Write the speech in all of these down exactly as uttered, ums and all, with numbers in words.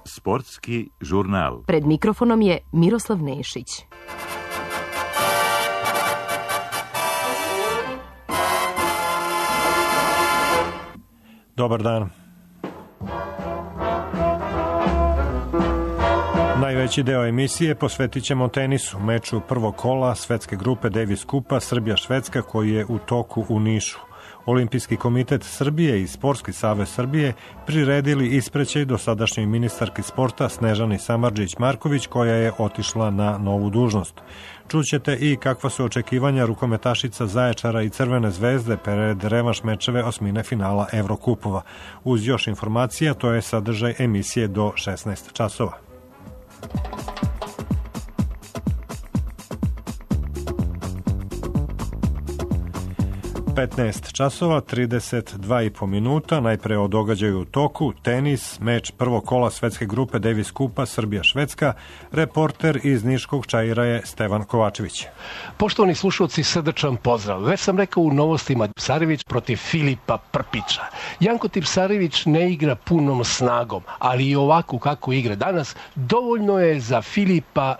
Sportski žurnal. Pred mikrofonom je Miroslav Nešić. Dobar dan. Najveći deo emisije posvetit ćemo tenisu, meču prvog kola svetske grupe Davis Kupa Srbija-Švedska koji je u toku u Nišu. Olimpijski komitet Srbije i Sportski savez Srbije priredili isprećaj dosadašnjoj ministarki sporta Snežani Samardžić-Marković koja je otišla na novu dužnost. Čućete i kakva su očekivanja rukometašica Zaječara i Crvene zvezde pred revanš mečeve osmine finala Evrokupova. Uz još informacija, to je sadržaj emisije do šesnaest časova. petnaest časova, trideset dva i po minuta, najpre o događaju u toku, tenis, meč prvog kola svetske grupe Davis Kupa Srbija-Švedska, reporter iz Niškog Čaira je Stevan Kovačević. Poštovani slušalci, srdačan pozdrav. Već sam rekao u novostima Tipsarević protiv Filipa Prpića. Janko Tipsarević ne igra punom snagom, ali i ovako kako igra danas, dovoljno je za Filipa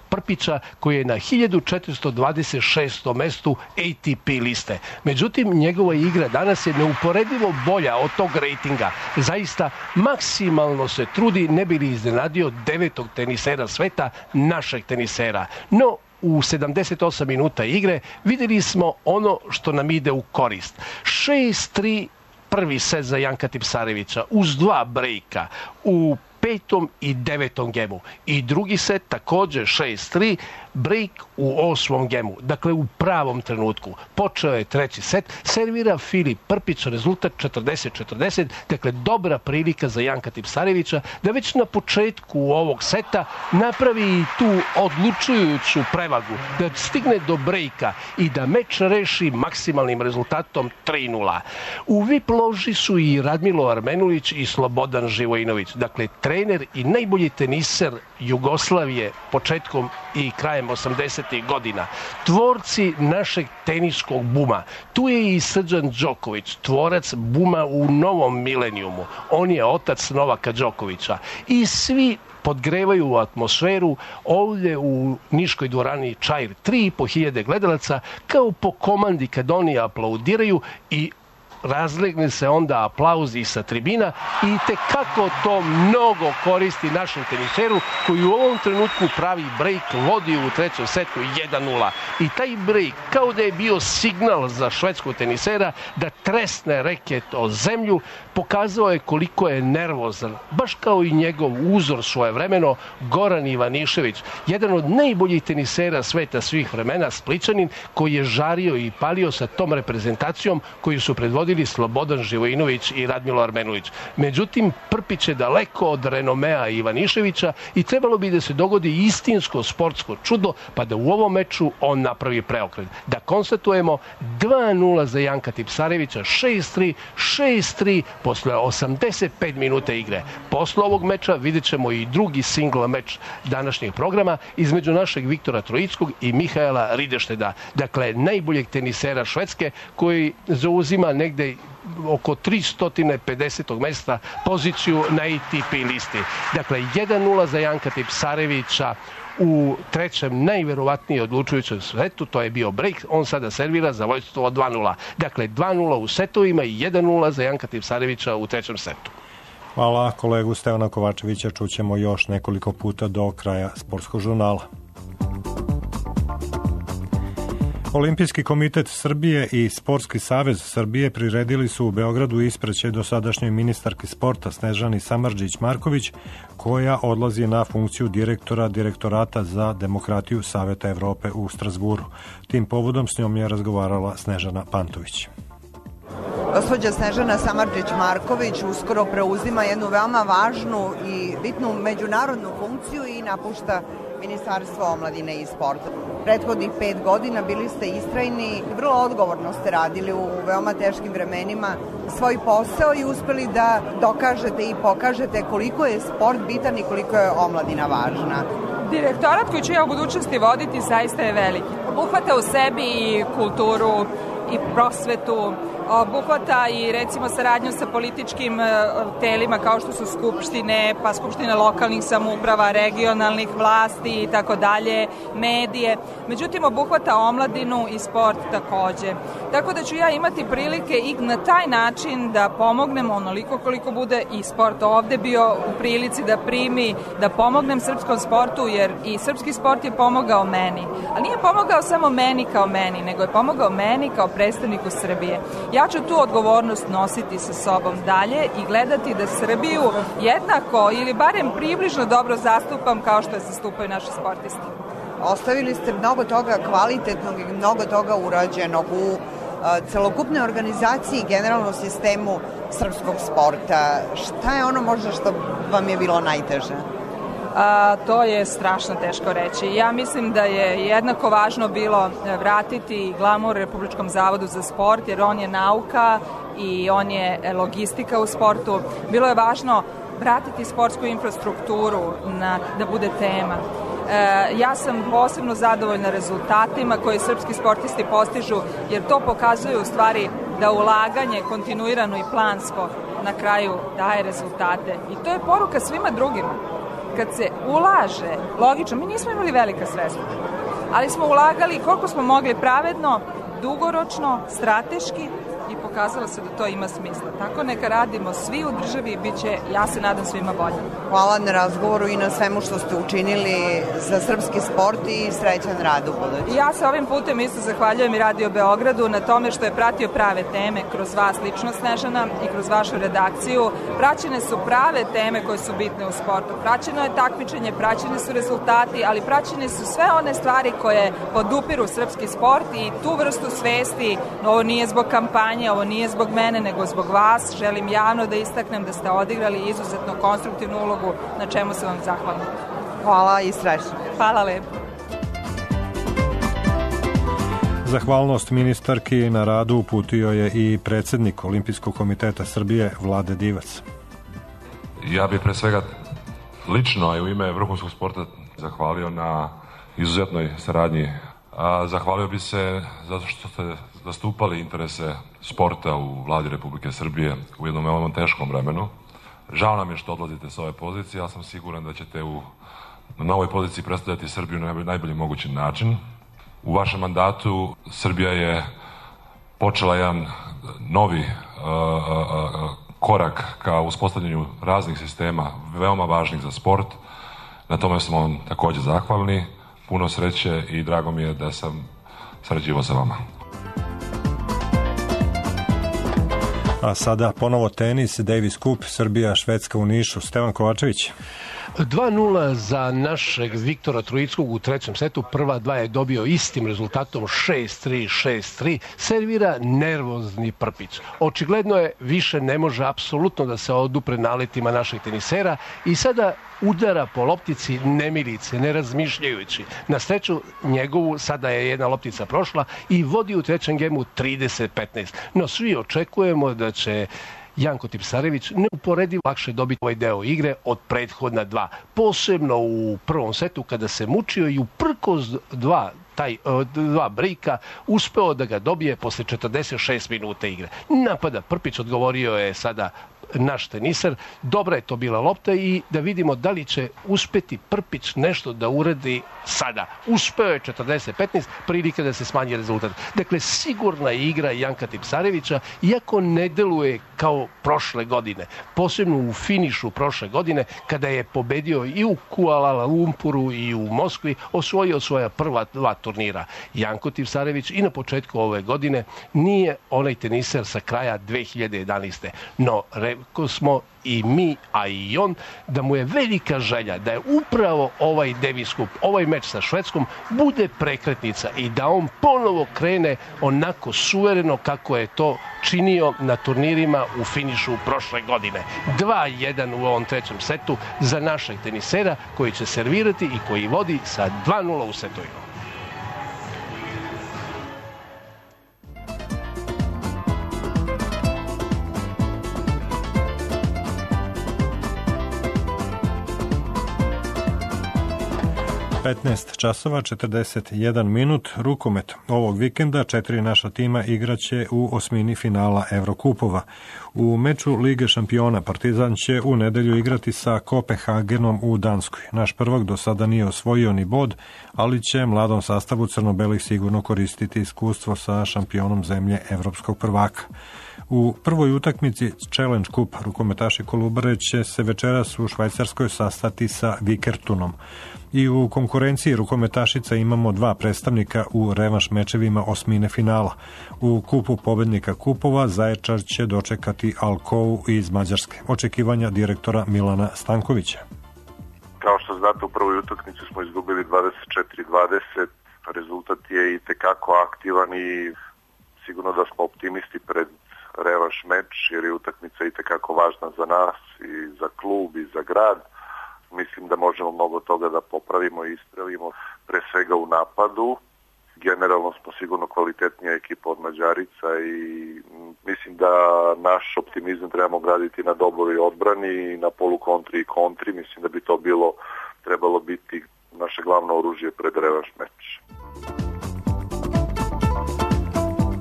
Prpića koji je na hiljadu četiristo dvadeset šestom mestu A T P liste. Međutim, njegova igra danas je neuporedivo bolja od tog rejtinga. Zaista maksimalno se trudi, ne bi li iznenadio devetog tenisera sveta, našeg tenisera. No, u sedamdeset osam minuta igre vidjeli smo ono što nam ide u korist. šest tri prvi set za Janka Tipsarevića uz dva brejka u petom i devetom gemu. I drugi set također šest tri, break u osmom gemu. Dakle, u pravom trenutku. Počeo je treći set, servira Filip Prpić, rezultat četrdeset četrdeset, dakle dobra prilika za Janka Tipsarevića da već na početku ovog seta napravi tu odlučujuću prevagu, da stigne do brejka i da meč reši maksimalnim rezultatom tri nula. U V I P loži su i Radmilo Armenulić i Slobodan Živojinović. Dakle, trener i najbolji teniser Jugoslavije početkom i krajem osamdesetih godina. Tvorci našeg teniskog buma. Tu je i Srđan Đoković, tvorac buma u novom milenijumu. On je otac Novaka Đokovića. I svi podgrevaju atmosferu ovdje u Niškoj dvorani Čair. tri i po hiljade gledalaca kao po komandi kad oni aplaudiraju i razlegne se onda aplauzi sa tribina i tekako to mnogo koristi našem teniseru koji u ovom trenutku pravi break, vodi u trećem setu jedan nula. I taj break kao da je bio signal za švedskog tenisera da tresne reket o zemlju, pokazao je koliko je nervozan, baš kao i njegov uzor svojevremeno Goran Ivanišević, jedan od najboljih tenisera sveta svih vremena, Splićanin, koji je žario i palio sa tom reprezentacijom koju su predvodili Slobodan Živojinović i Radmilo Armenulić. Međutim, Prpić je daleko od renomea Ivaniševića i trebalo bi da se dogodi istinsko sportsko čudo, pa da u ovom meču on napravi preokret. Da konstatujemo dva nula za Janka Tipsarevića, šest tri, šest tri posle osamdeset pet minuta igre. Posle ovog meča vidjet ćemo i drugi single meč današnjeg programa između našeg Viktora Trojickog i Mihaela Ridešteda. Dakle, najboljeg tenisera Švedske koji zauzima negde oko tristo pedeset mesta poziciju na A T P listi. Dakle, jedan nula za Janka Tipsarevića u trećem najverovatnije odlučujućem setu, to je bio break, on sada servira za vojstvo dva nula. Dakle, dva nula u setovima i jedan nula za Janka Tipsarevića u trećem setu. Hvala kolegu Stevana Kovačevića, čućemo još nekoliko puta do kraja sportskog žurnala. Olimpijski komitet Srbije i Sportski savez Srbije priredili su u Beogradu isprećaj dosadašnjoj ministarki sporta Snežani Samardžić-Marković, koja odlazi na funkciju direktora Direktorata za demokratiju Saveta Evrope u Strazburu. Tim povodom s njom je razgovarala Snežana Pantović. Gospođa Snežana Samardžić-Marković uskoro preuzima jednu veoma važnu i bitnu međunarodnu funkciju i napušta Ministarstvo omladine i sporta. Prethodnih pet godina bili ste istrajni, vrlo odgovorno ste radili u veoma teškim vremenima svoj posao i uspeli da dokažete i pokažete koliko je sport bitan i koliko je omladina važna. Direktorat koji ću ja u budućnosti voditi zaista je veliki. Obuhvata u sebi i kulturu i prosvetu, obuhvata i recimo saradnju sa političkim telima kao što su skupštine, pa skupštine lokalnih samouprava, regionalnih vlasti i tako dalje, medije. Međutim, obuhvata omladinu i sport takođe. Tako da ću ja imati prilike i na taj način da pomognem onoliko koliko bude i sport ovde bio u prilici da primi, da pomognem srpskom sportu, jer i srpski sport je pomogao meni. Ali nije pomogao samo meni kao meni, nego je pomogao meni kao predstavniku Srbije. Ja ću tu odgovornost nositi sa sobom dalje i gledati da Srbiju jednako ili barem približno dobro zastupam kao što je zastupaju naši sportisti. Ostavili ste mnogo toga kvalitetnog i mnogo toga urađenog u celokupnoj organizaciji i generalnom sistemu srpskog sporta. Šta je ono možda što vam je bilo najteže? A, to je strašno teško reći. Ja mislim da je jednako važno bilo vratiti glamur Republičkom zavodu za sport, jer on je nauka i on je logistika u sportu. Bilo je važno vratiti sportsku infrastrukturu na, da bude tema. E, ja sam posebno zadovoljna rezultatima koje srpski sportisti postižu, jer to pokazuje u stvari da ulaganje kontinuirano i plansko na kraju daje rezultate. I to je poruka svima drugima. Kad se ulaže, logično, mi nismo imali velika sredstva, ali smo ulagali koliko smo mogli pravedno, dugoročno, strateški i pokazalo se da to ima smisla. Tako neka radimo svi u državi i bit će, ja se nadam, svima bolje. Hvala na razgovoru i na svemu što ste učinili za srpski sport i srećan rad u budući. Ja se ovim putem isto zahvaljujem i Radio Beogradu na tome što je pratio prave teme kroz vas lično, Snežana, i kroz vašu redakciju. Praćene su prave teme koje su bitne u sportu. Praćeno je takmičenje, praćeni su rezultati, ali praćene su sve one stvari koje podupiru srpski sport i tu vrstu svesti. Ovo nije zbog kampanje, ovo nije zbog mene, nego zbog vas. Želim javno da istaknem da ste odigrali izuzetno konstruktivnu ulogu, na čemu se vam zahvalna. Hvala i srećno. Hvala lepo. Zahvalnost ministarki na radu uputio je i predsednik Olimpijskog komiteta Srbije Vlade Divac. Ja bih pre svega lično, a i u ime vrhunskog sporta, zahvalio na izuzetnoj saradnji. A zahvalio bi se zato što ste zastupali interese sporta u Vladi Republike Srbije u jednom veoma teškom vremenu. Žao nam je što odlazite sa ove pozicije, ja sam siguran da ćete u, na novoj poziciji predstavljati Srbiju na najbolji mogući način. U vašem mandatu Srbija je počela jedan novi uh, uh, korak ka uspostavljanju raznih sistema veoma važnih za sport. Na tome smo vam takođe zahvalni. Puno sreće i drago mi je da sam sarađivao sa vama. A sada ponovo tenis, Davis Cup, Srbija, Švedska u Nišu. Stevan Kovačević. dva nula za našeg Viktora Trojickog u trećem setu. Prva dva je dobio istim rezultatom šest tri, šest tri. Servira nervozni Prpić. Očigledno je više ne može apsolutno da se odupre naletima naših tenisera i sada udara po loptici nemilice, ne razmišljajući. Na sreću njegovu sada je jedna loptica prošla i vodi u trećem gemu trideset petnaest. No svi očekujemo da će Janko Tipsarević neuporedivo lakše dobiti ovaj deo igre od prethodna dva. Posebno u prvom setu kada se mučio i uprkos dva taj dva brejka uspeo da ga dobije posle četrdeset šest minuta igre. Napada Prpić, odgovorio je sada naš tenisar. Dobra je to bila lopta i da vidimo da li će uspeti Prpić nešto da uradi sada. Uspeo je četrdeset petnaest, prilike da se smanji rezultat. Dakle, sigurna igra Janka Tipsarevića, iako ne deluje kao prošle godine. Posebno u finišu prošle godine, kada je pobedio i u Kuala Lumpuru i u Moskvi, osvojio svoja prva dva turnira. Janko Tipsarević i na početku ove godine nije onaj teniser sa kraja dve hiljade jedanaeste. No, rekao smo i mi, a i on, da mu je velika želja da je upravo ovaj Davis Cup, ovaj meč sa Švedskom, bude prekretnica i da on ponovo krene onako suvereno kako je to činio na turnirima u finišu prošle godine. dva jedan u ovom trećem setu za našeg tenisera koji će servirati i koji vodi sa dva nula u setovima. petnaest časova četrdeset jedan minut. Rukomet. Ovog vikenda četiri naša tima igraće u osmini finala Evrokupova. U meču Lige šampiona Partizan će u nedelju igrati sa Kopenhagenom u Danskoj. Naš prvak do sada nije osvojio ni bod, ali će mladom sastavu crno-belih sigurno koristiti iskustvo sa šampionom zemlje evropskog prvaka. U prvoj utakmici Challenge Cup rukometaši Kolubare će se večeras u Švajcarskoj sastati sa Vikertunom. I u konkurenciji rukometašica imamo dva predstavnika u revanš mečevima osmine finala. U kupu pobednika kupova Zaječar će dočekati Alcoou iz Mađarske. Očekivanja direktora Milana Stankovića. Kao što znate, u prvoj utakmici smo izgubili dvadeset četiri dvadeset. Rezultat je i tekako aktivan i sigurno da smo optimisti pred revanš meč, jer je utakmica i tekako važna za nas i za klub i za grad. Mislim da možemo mnogo toga da popravimo i ispravimo, pre svega u napadu. Generalno smo sigurno kvalitetnija ekipa od Mađarica i mislim da naš optimizam trebamo graditi na dobroj odbrani i na polukontri i kontri. Mislim da bi to bilo, trebalo biti naše glavno oružje pred revanš meč.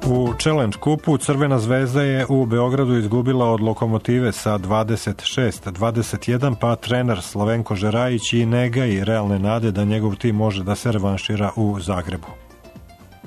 U Challenge Cupu Crvena zvezda je u Beogradu izgubila od Lokomotive sa dvadeset šest dvadeset jedan, pa trener Slavenko Žerajić i ne gaji realne nade da njegov tim može da se revanšira u Zagrebu.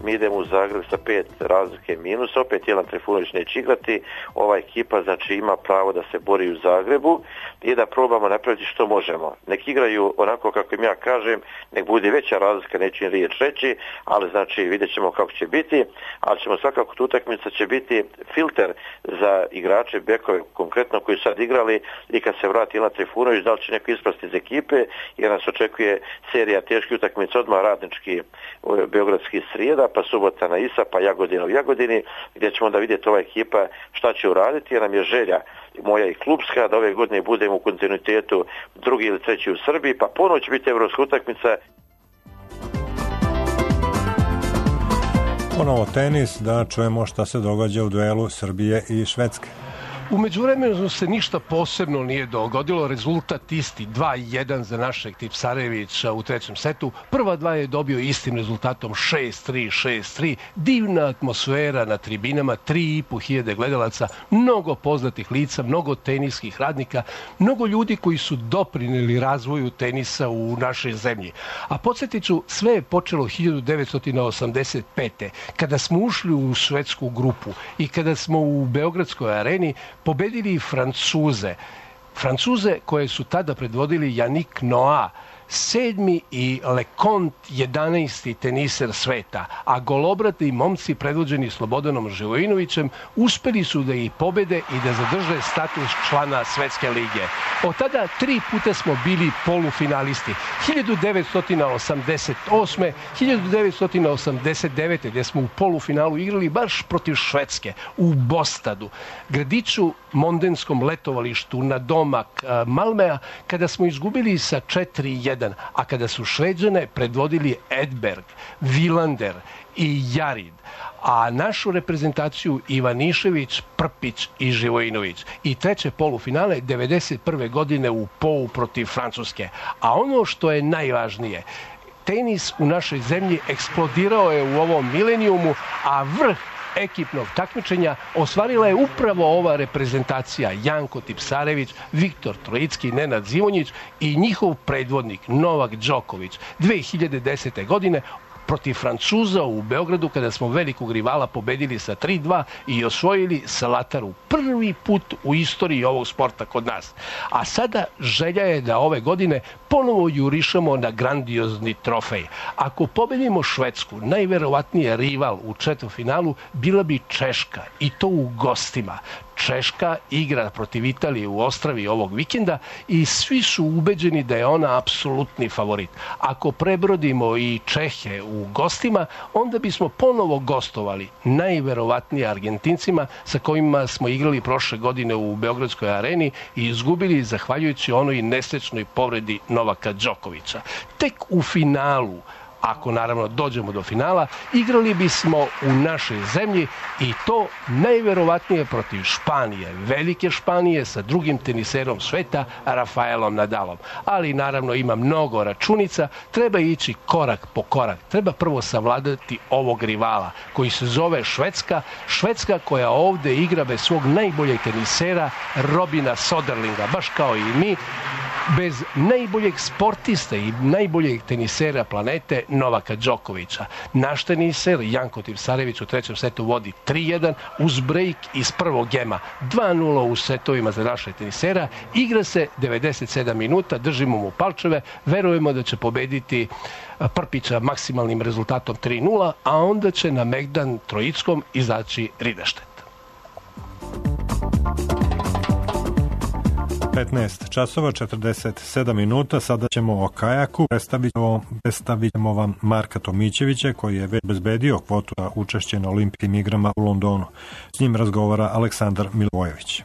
Mi idemo u Zagreb sa pet razlike minusa, opet Jelan Trifunović neće igrati, ova ekipa znači ima pravo da se bori u Zagrebu i da probamo napraviti što možemo. Nek igraju onako kako im ja kažem, nek bude veća razlika, neću im riječ reći, ali znači vidjet ćemo kako će biti, ali ćemo svakako tu utakmica će biti filter za igrače, bekove konkretno koji sad igrali i kad se vrati Jelan Trifunović, da li će neko ispasti iz ekipe, jer nas očekuje serija teških utakmica, odmah Radnički beogradski srijeda, pa subota na Isa, pa Jagodina u Jagodini, gdje ćemo onda vidjeti ova ekipa šta će uraditi, jer nam je želja moja i klubska da ove godine budemo u kontinuitetu drugi ili treći u Srbiji, pa ponovo će biti evropska utakmica. Ponovo tenis, da čujemo šta se događa u duelu Srbije i Švedske. U međuvremenu se ništa posebno nije dogodilo, rezultat isti, dva jedan za našeg Tipsarevića u trećem setu. Prva dva je dobio istim rezultatom šest tri, šest tri, divna atmosfera na tribinama, tri i po hiljade gledalaca, mnogo poznatih lica, mnogo teniskih radnika, mnogo ljudi koji su doprineli razvoju tenisa u našoj zemlji. A podsjetit ću, sve je počelo hiljadu devetsto osamdeset pete. kada smo ušli u švedsku grupu i kada smo u Beogradskoj areni pobedili Francuze. Francuze koje su tada predvodili Yannick Noah, sedmi i Leconte, jedanaesti teniser sveta, a golobrati momci predvođeni Slobodanom Živojinovićem uspeli su da ih pobede i da zadrže status člana Svetske lige. Od tada tri puta smo bili polufinalisti. hiljadu devetsto osamdeset osme. hiljadu devetsto osamdeset devete. gdje smo u polufinalu igrali baš protiv Švedske u Bostadu, gradiću mondenskom letovalištu na domak Malmea, kada smo izgubili sa četiri jedan. A kada su Šveđane predvodili Edberg, Vilander i Jarid, a našu reprezentaciju Ivanišević, Prpić i Živojinović. I treće polufinale devedeset prve. godine u Pou protiv Francuske. A ono što je najvažnije, tenis u našoj zemlji eksplodirao je u ovom milenijumu, a vrh ekipnog takmičenja ostvarila je upravo ova reprezentacija: Janko Tipsarević, Viktor Trojicki, Nenad Zimonjić i njihov predvodnik Novak Đoković. dve hiljade desete. godine protiv Francuza u Beogradu, kada smo velikog rivala pobedili sa tri dva i osvojili Salataru. Prvi put u istoriji ovog sporta kod nas. A sada želja je da ove godine ponovo jurišamo na grandiozni trofej. Ako pobedimo Švedsku, najverovatnije rival u četvrtfinalu bila bi Češka, i to u gostima. Češka igra protiv Italije u Ostravi ovog vikenda i svi su ubeđeni da je ona apsolutni favorit. Ako prebrodimo i Čehe u gostima, onda bismo ponovo gostovali najverovatnije Argentincima, sa kojima smo igrali prošle godine u Beogradskoj areni i izgubili zahvaljujući onoj nesrećnoj povredi Novaka Đokovića. Tek u finalu ako naravno dođemo do finala, igrali bismo u našoj zemlji i to najverovatnije protiv Španije, velike Španije sa drugim teniserom sveta, Rafaelom Nadalom. Ali naravno ima mnogo računica, treba ići korak po korak. Treba prvo savladati ovog rivala koji se zove Švedska, Švedska koja ovde igra bez svog najboljeg tenisera Robina Soderlinga, baš kao i mi, bez najboljeg sportista i najboljeg tenisera planete Novaka Đokovića. Naš teniser Janko Tipsarević u trećem setu vodi tri jedan uz break iz prvog gema. dva nula u setovima za naše tenisera. Igra se devedeset sedam minuta, držimo mu palčeve, verujemo da će pobediti Prpića maksimalnim rezultatom tri nula, a onda će na Megdan Trojickom izaći Rideštet. petnaest časova četrdeset sedam minuta, sada ćemo o kajaku. Predstavit ćemo, predstavit ćemo vam Marka Tomićevića koji je već bezbedio kvotu za učešće na olimpijskim igrama u Londonu. S njim razgovara Aleksandar Milivojević.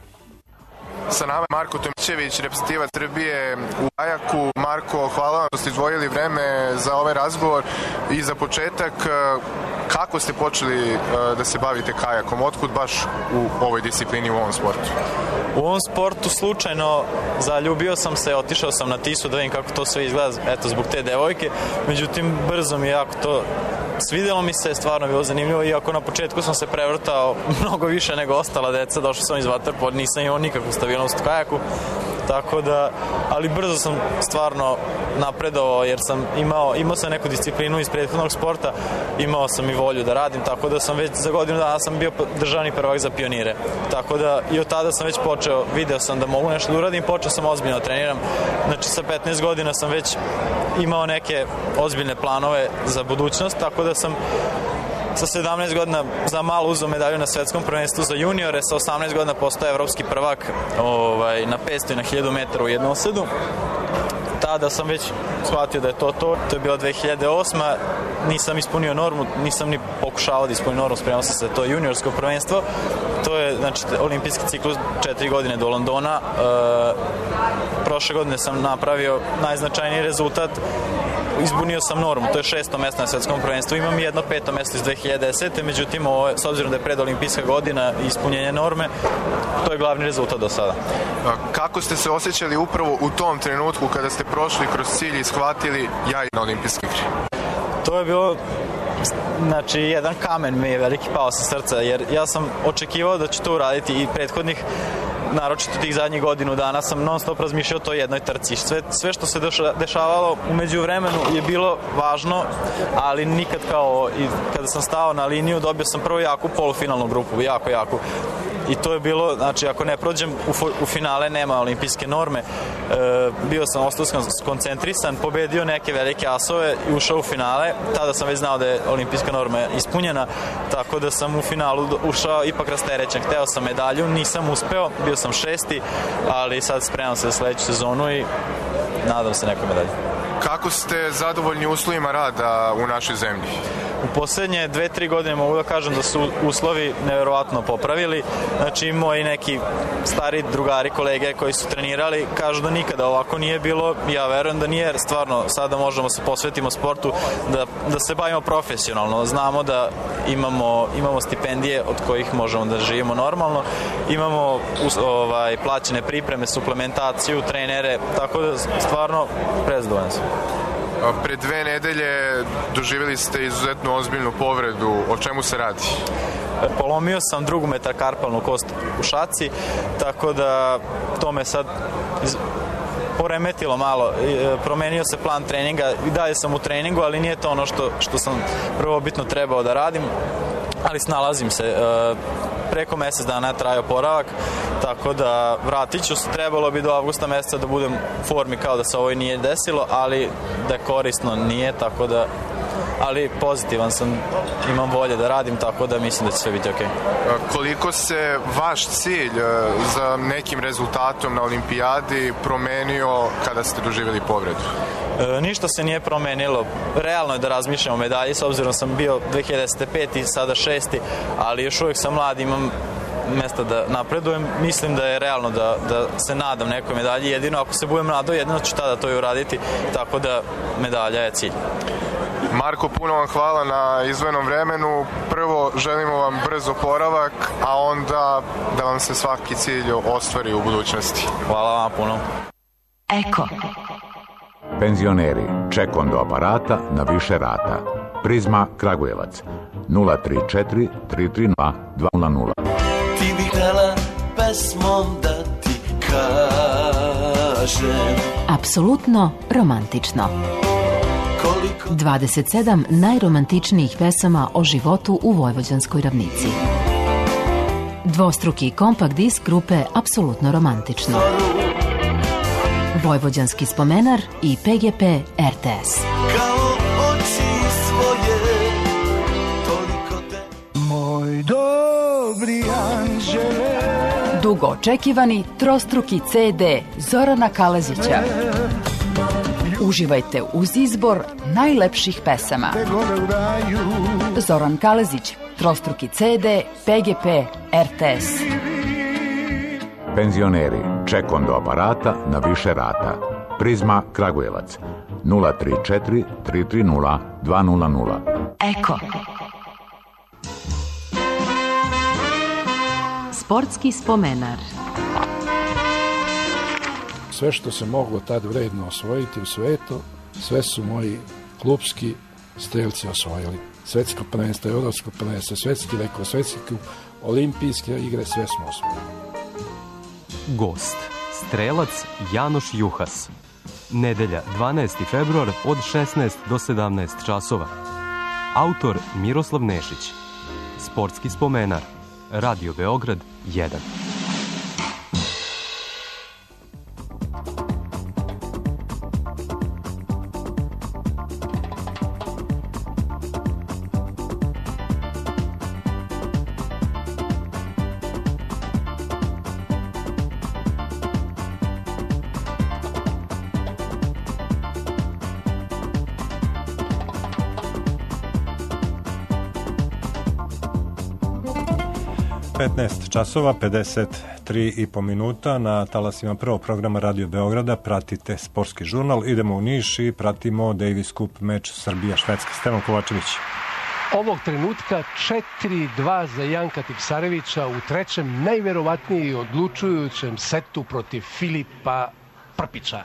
Sa nama Marko Tomićević, reprezentativac Srbije u kajaku. Marko, hvala vam što ste izdvojili vreme za ovaj razgovor i za početak, kako ste počeli da se bavite kajakom? Otkud baš u ovoj disciplini, u ovom sportu? U ovom sportu slučajno zaljubio sam se, otišao sam na Tisu da vidim kako to sve izgleda, eto, zbog te devojke. Međutim, brzo mi je jako to svidelo mi se, stvarno bilo zanimljivo, iako na početku sam se prevrtao mnogo više nego ostala deca, došao sam iz vaterpola, nisam imao nikakvu stabilnost u kajaku, tako da, ali brzo sam stvarno napredovao jer sam imao, imao sam neku disciplinu iz prethodnog sporta, imao sam i volju da radim, tako da sam već za godinu dana sam bio državni prvak za pionire, tako da i od tada sam već počeo, video sam da mogu nešto da uradim, počeo sam ozbiljno da treniram, znači sa petnaest godina sam već imao neke ozbiljne planove za budućnost, tako da sam sa sedamnaest godina za malo uzeo medalju na svetskom prvenstvu za juniore, sa osamnaest godina postao evropski prvak ovaj, na petsto i na hiljadu metara u jednosedu. Tada sam već shvatio da je to to. To je bila dve hiljade osma. Nisam ispunio normu, nisam ni pokušavao da ispunio normu, spremao sam se, to je juniorsko prvenstvo. To je, znači, olimpijski ciklus četiri godine do Londona. E, prošle godine sam napravio najznačajniji rezultat. Izbunio sam normu, to je šesto mesto na svetskom prvenstvu, imam jedno peto mesto iz dve hiljade desete. Međutim, ovo, s obzirom da je predolimpijska godina i ispunjenje norme, to je glavni rezultat do sada. Kako ste se osjećali upravo u tom trenutku kada ste prošli kroz cilj i shvatili ja na olimpijske igre? To je bilo, znači, jedan kamen mi je veliki pao sa srca, jer ja sam očekivao da ću to uraditi i prethodnih, naročito tih zadnjih godinu dana sam non stop razmišljao o toj jednoj trci. Sve, sve što se dešavalo umeđu vremenu je bilo važno, ali nikad kao i kada sam stao na liniju dobio sam prvo jaku polufinalnu grupu, jako, jako. I to je bilo, znači, ako ne prođem u, u finale, nema olimpijske norme. E, bio sam, ostao sam skoncentrisan, pobedio neke velike asove i ušao u finale. Tada sam već znao da je olimpijska norma ispunjena, tako da sam u finalu ušao ipak rasterećen. Hteo sam medalju, nisam uspeo, bio sam šesti, ali sad spremam se za sledeću sezonu i nadam se nekoj medalji. Kako ste zadovoljni uslovima rada u našoj zemlji? U poslednje dve, tri godine mogu da kažem da su uslovi neverovatno popravili. Znači, moji neki stari drugari, kolege koji su trenirali kažu da nikada ovako nije bilo. Ja verujem da nije, jer stvarno sada možemo se posvetimo sportu, da, da se bavimo profesionalno. Znamo da imamo, imamo stipendije od kojih možemo da živimo normalno. Imamo ovaj, plaćene pripreme, suplementaciju, trenere, tako da stvarno prezadovoljan sam. Pre dve nedelje doživjeli ste izuzetno ozbiljnu povredu. O čemu se radi? Polomio sam drugu metakarpalnu kost u šaci, tako da to me sad iz... poremetilo malo. Promenio se plan treninga i dalje sam u treningu, ali nije to ono što, što sam prvobitno trebao da radim, ali snalazim se. Preko mesec dana je trajao oporavak, tako da vratit ću se, trebalo bi do avgusta meseca da budem u formi kao da se ovo nije desilo, ali da je korisno nije, tako da, ali pozitivan sam, imam volje da radim, tako da mislim da će sve biti okej. Koliko se vaš cilj za nekim rezultatom na olimpijadi promenio kada ste doživjeli povredu? E, ništa se nije promenilo. Realno je da razmišljam o medalji, s obzirom sam bio dve hiljade desete peti, sada šesti, ali još uvijek sam mlad, imam mesta da napredujem. Mislim da je realno da, da se nadam nekoj medalji, jedino ako se budem nadao, jedino ću tada to i uraditi, tako da medalja je cilj. Marko, puno vam hvala na izdvojenom vremenu. Prvo, želimo vam brz oporavak, a onda da vam se svaki cilj ostvari u budućnosti. Hvala vam puno. Eko. Penzioneri, ček onda aparata na više rata. Prizma Kragujevac, nula tri četiri tri tri nula dva nula nula. Ti bi htjela pesmom da ti kažem. Apsolutno romantično. dvadeset sedam najromantičnijih pesama o životu u Vojvođanskoj ravnici. Dvostruki kompakt disk grupe Apsolutno romantično. Vojvođanski spomenar i P G P R T S. Kao oči svoje, toliko te... Moj dobri anđele. Dugo očekivani trostruki C D Zorana Kalezića. Uživajte uz izbor najlepših pesama. Zoran Kalezić, trostruki C D, P G P, R T S. Penzioneri, ček onda aparata na više rata. Prizma Kragujevac, nula tri četiri tri tri nula dva nula nula. Eko. Sportski spomenar. Sve što se moglo tad vredno osvojiti u svetu, sve su moji klupski strelci osvojili. Svetsko prvenstvo, evropsko prvenstvo, svetski rekord, svetski kup, olimpijske igre, sve smo osvojili. Gost, strelac Janoš Juhas. Nedelja, dvanaesti februar od šesnaest do sedamnaest časova. Autor Miroslav Nešić. Sportski spomenar. Radio Beograd jedan. petnaest časova, pedeset tri i po minuta na talasima prvog programa Radio Beograda. Pratite sportski žurnal. Idemo u Niš i pratimo Davis Cup meč Srbija-Švedska. Stevan Kovačević. Ovog trenutka četiri dva za Janka Tipsarevića u trećem najverovatnije i odlučujućem setu protiv Filipa Prpića.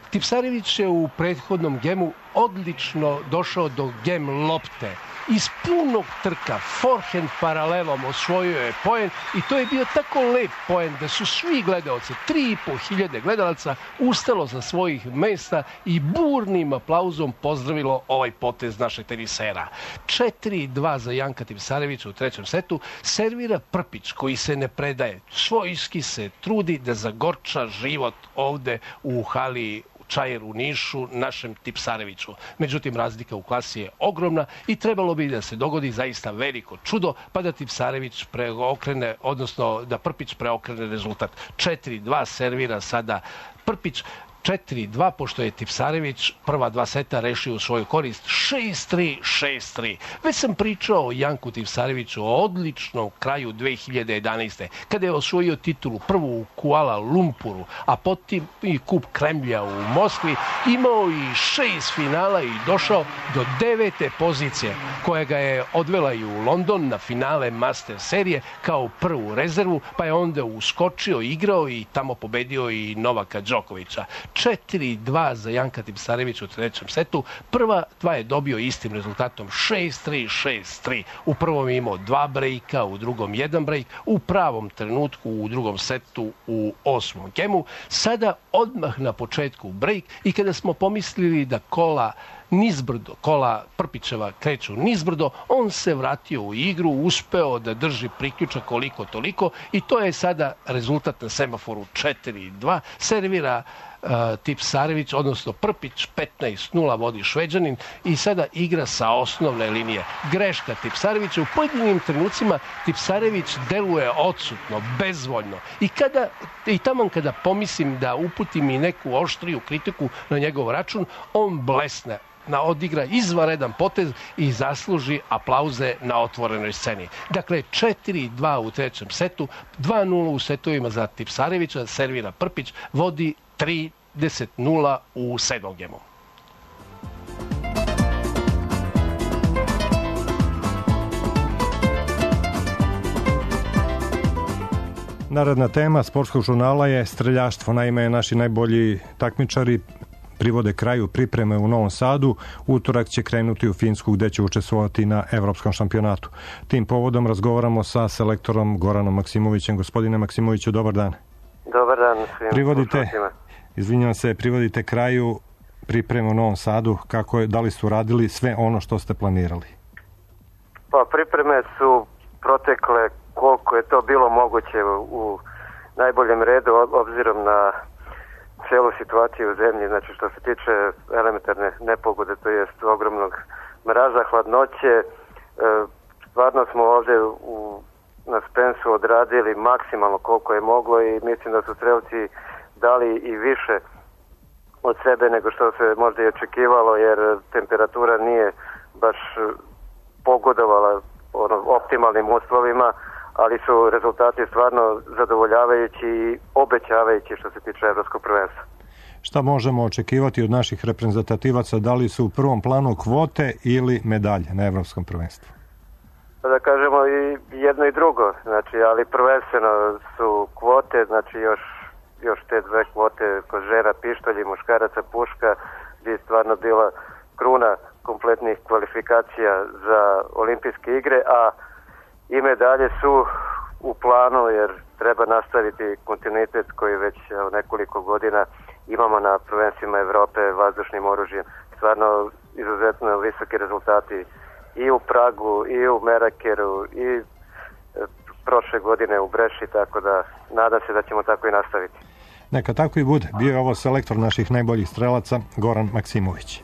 Tipsarević je u prethodnom gemu odlično došao do gem lopte. Iz punog trka, forehand paralelom osvojio je poen i to je bio tako lep poen da su svi gledalci, tri i po hiljade gledalaca, ustalo sa svojih mesta i burnim aplauzom pozdravilo ovaj potez našeg tenisera. četiri dva za Janka Tipsarevića u trećem setu. Servira Prpić koji se ne predaje, svojski se trudi da zagorča život ovde u hali Čajer u Nišu, našem Tipsareviću. Međutim, razlika u klasi je ogromna i trebalo bi da se dogodi zaista veliko čudo, pa da Tipsarević preokrene, odnosno da Prpić preokrene rezultat. četiri dva servira sada Prpić. četiri dva, pošto je Tipsarević prva dva seta rešio u svoju korist. šest tri, šest tri. Već sam pričao o Janku Tipsareviću, o odličnom kraju dve hiljade jedanaeste. kada je osvojio titulu prvu u Kuala Lumpuru, a potom i kup Kremlja u Moskvi, imao i šest finala i došao do devete pozicije, koja ga je odvela i u London na finale Master serije kao prvu rezervu, pa je onda uskočio, igrao i tamo pobedio i Novaka Đokovića. četiri dva za Janka Tipsarevića u trećem setu. Prva dva je dobio istim rezultatom šest tri, šest tri. U prvom je imao dva brejka, u drugom jedan brejk. U pravom trenutku u drugom setu u osmom gemu. Sada odmah na početku brejk i kada smo pomislili da kola nizbrdo, kola Prpićeva kreću nizbrdo, on se vratio u igru, uspeo da drži priključak koliko toliko i to je sada rezultat na semaforu četiri dva. Servira uh, Tipsarević, odnosno Prpić, petnaest nula vodi Šveđanin i sada igra sa osnovne linije. Greška Tipsarevića, u pojedinim trenucima Tipsarević deluje odsutno, bezvoljno i kada i taman kada pomislim da uputim i neku oštriju kritiku na njegov račun, on blesne, na odigra izvanredan potez i zasluži aplauze na otvorenoj sceni. Dakle, četiri dva u trećem setu, dva nula u setovima za Tipsarevića, servira Prpić, vodi trideset nula u sedmom gemu. Narodna tema sportskog žurnala je streljaštvo. Naime, naši najbolji takmičari privode kraju pripreme u Novom Sadu. Utorak će krenuti u Finsku gde će učestvovati na evropskom šampionatu. Tim povodom razgovaramo sa selektorom Goranom Maksimovićem. Gospodine Maksimoviću, dobar dan. Dobar dan svim privodite, izvinjam se, privodite kraju pripreme u Novom Sadu. Kako je, da li su radili sve ono što ste planirali? Pa pripreme su protekle koliko je to bilo moguće u najboljem redu obzirom na cijelu situaciju u zemlji, znači što se tiče elementarne nepogode, to jest ogromnog mraza, hladnoće. E, stvarno smo ovdje u, na Spensu odradili maksimalno koliko je moglo i mislim da su strelci dali i više od sebe nego što se možda i očekivalo, jer temperatura nije baš pogodovala ono, optimalnim uslovima, ali su rezultati stvarno zadovoljavajući i obećavajući što se tiče evropskog prvenstva. Šta možemo očekivati od naših reprezentativaca? Da li su u prvom planu kvote ili medalje na evropskom prvenstvu? Pa da kažemo i jedno i drugo, znači, ali prvenstveno su kvote, znači još, još te dve kvote kod žena pištolji, muškaraca puška, gdje je stvarno bila kruna kompletnih kvalifikacija za olimpijske igre, a i medalje su u planu jer treba nastaviti kontinuitet koji već nekoliko godina imamo na prvenstvima Evrope vazdušnim oružjem. Stvarno izuzetno visoki rezultati i u Pragu, i u Merakeru, i prošle godine u Breši, tako da nadam se da ćemo tako i nastaviti. Neka tako i bude. Bio je ovo selektor naših najboljih strelaca, Goran Maksimović.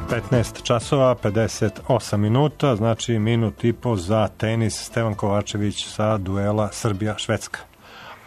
petnaest časova, pedeset osam minuta, znači minut i po za tenis. Stevan Kovačević sa duela Srbija-Švedska.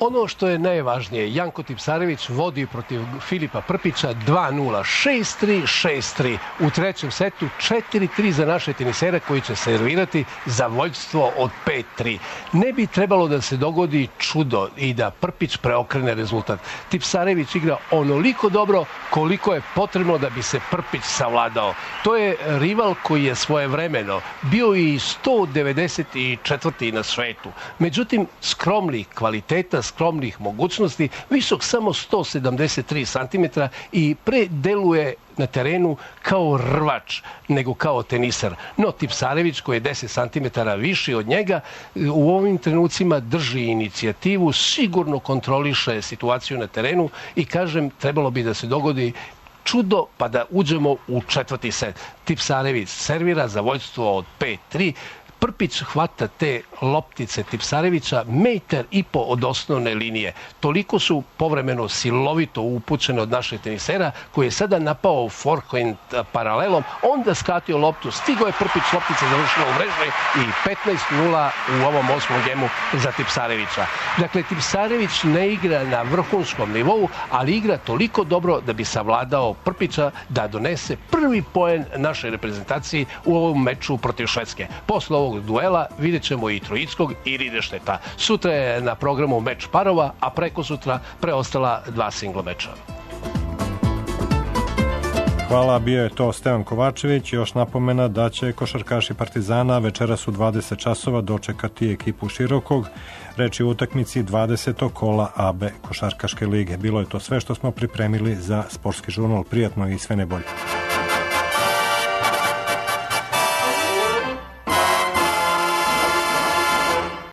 Ono što je najvažnije, Janko Tipsarević vodi protiv Filipa Prpića dva nula, šest tri, šest tri. U trećem setu četiri tri za naše tenisere koji će servirati za vođstvo od pet tri. Ne bi trebalo da se dogodi čudo i da Prpić preokrene rezultat. Tipsarević igra onoliko dobro koliko je potrebno da bi se Prpić savladao. To je rival koji je svojevremeno bio i sto devedeset četvrti na svetu. Međutim, skromnih kvaliteta, skromnih mogućnosti, visok samo sto sedamdeset tri centimetra i predeluje na terenu kao rvač nego kao tenisar. No Tipsarević koji je deset centimetara viši od njega u ovim trenucima drži inicijativu, sigurno kontroliše situaciju na terenu i kažem trebalo bi da se dogodi čudo pa da uđemo u četvrti set. Tipsarević servira za vođstvo od pet tri. Prpić hvata te loptice Tipsarevića metar i po od osnovne linije. Toliko su povremeno silovito upućene od našeg tenisera koji je sada napao forehand paralelom, onda skratio loptu, stigo je Prpić, loptica završila u mreži i petnaest nula u ovom osmom gemu za Tipsarevića. Dakle, Tipsarević ne igra na vrhunskom nivou, ali igra toliko dobro da bi savladao Prpića da donese prvi poen našoj reprezentaciji u ovom meču protiv Švedske. Posle ovog duela vidjet ćemo i Trojickog i Ridešteta. Sutra je na programu meč parova, a preko sutra preostala dva singla meča. Hvala, bio je to Stevan Kovačević. Još napomena da će košarkaši Partizana večeras u dvadeset časova dočekati ekipu Širokog. Reč je o utakmici dvadesetog kola A B košarkaške lige. Bilo je to sve što smo pripremili za Sportski žurnal. Prijatno i sve najbolje.